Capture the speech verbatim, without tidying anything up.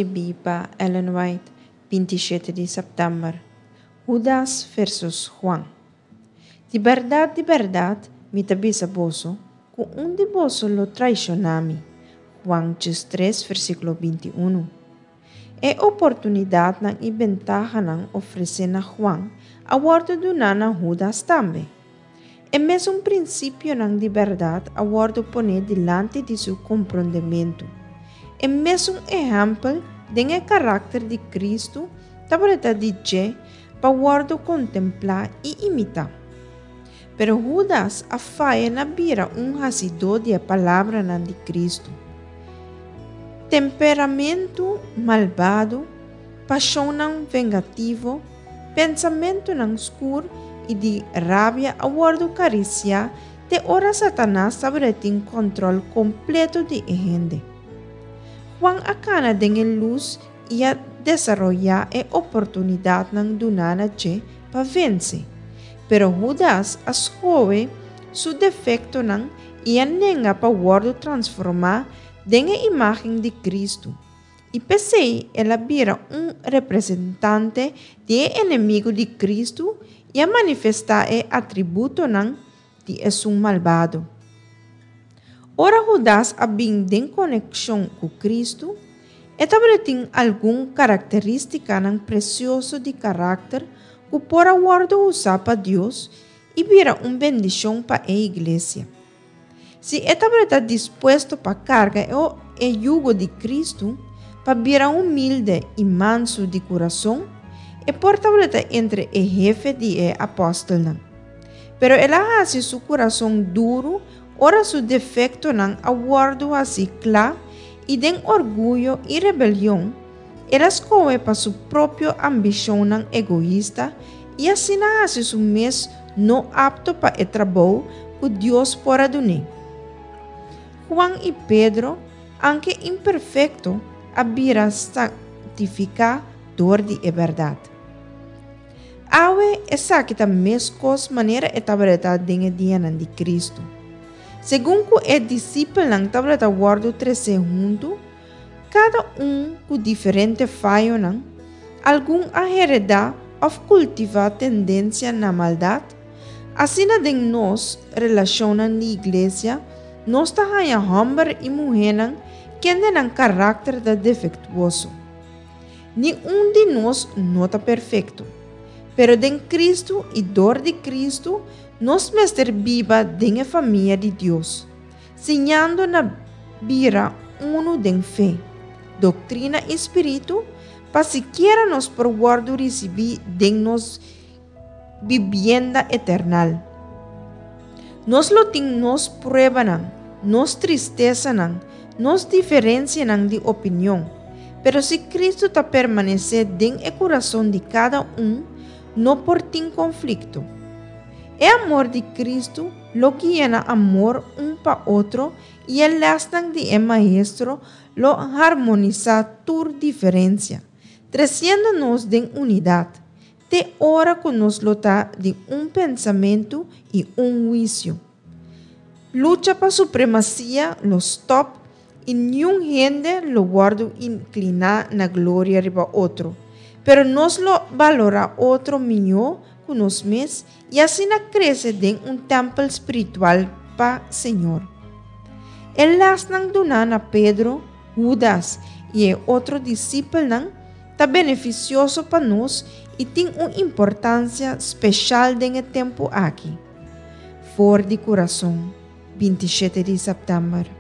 Skibí pa Ellen White, binti shete di sèptèmber. Hudas versus Juan. Di bèrdat, di bèrdat, mi ta bisa boso, ku un di boso lo traishoná mi. Juan diestres, versíkulo binti unu. E oportunidatnan i bentahanan ofresé na Juan a wòrdu duná na Hudas tambe. E mesun prinsipionan di bèrdat a wòrdu poné dilanti di su komprondementu. E mesun ehèmpel den e karakter di Kristu tabata di dje pa wòrdu kontemplá i imitá. Pero Hudas a faya na bira un hasidó di e palabranan di Kristu. Temperamentu malbado, pashonnan vengativo, pensamentunan skur i di rabia a wòrdu karisiá te ora Satanas tabatin kòntròl kompleto di e hende. Juan a kana den e lus i a desaroyá e oportunidatnan duná na dje pa vense. Pero Hudas a skohe su defektonan i a nenga pa wòrdu transformá den e imágen di Kristu. I p'esei el a bira un representante di e enemigu di Kristu i a manifestá e atributonan di esun malbado. Ora Hudas a bin den konekshon ku Kristu, e tabatin algun karakterístikanan presioso di karakter ku por a wòrdu usá pa Dios i bira un bendishon pa e iglesia. Si e tabata dispuesto pa karga e yugo di Kristu, pa bira humilde i mansu di kurason, e por tabata entre e hefe di e apòstelnan. Pero el a hasi su kurason duru ora su defektonan a wòrdu hasí kla i den orguyo i rebelion, el a skohe pa su propio ambishonnan egoista i asina hasi su mes no apto pa e trabou ku Dios por a dun'é. Juan i Pedro, aunke imperfekto, a bira santifiká dor di e bèrdat. Awe esaki ta meskos manera e tabata den e dianan di Kristu. Segun ku e disipelnan tabata wòrdu tresé huntu, kada un ku diferente fayonan, algun a heredá òf kultivá tendensia na maldat, asina den nos relashonnan di iglesia, nos ta haña hòmber i muhénan kende nan karakter ta defektuoso. Ni un di nos no ta perfekto, pero den Kristu i dor di Kristu nos mester biba den e famia di Dios, siñando na bira unu den fe, doktrina i spiritu, pa sikiera nos por wòrdu risibí den nos bibienda eternal. Nos lo tin nos pruebanan, nos tristesanan, nos diferensianan di opinion, pero si Kristu ta permanesé den e kurason di kada un, no por tin konflikto. E amor di Kristu lo guia na amor un pa otro i e lèsnan di e Maestro lo harmonisá tur diferensia, tresiendo nos den unidat, te ora ku nos lo ta di un pensamentu i un huisio. Lucha pa supremasia lo stòp i niun hende lo wòrdu inkliná na gloria riba otro, pero nos lo balorá otro mihó ku nos mes i asina krese den un tèmpel spiritual pa Señor. E lèsnan duná na Pedro, Hudas i e otro disipelnan ta benefisioso pa nos i tin un importansia spesial den e tempu aki. For di Kurason, binti shete di sèptèmber.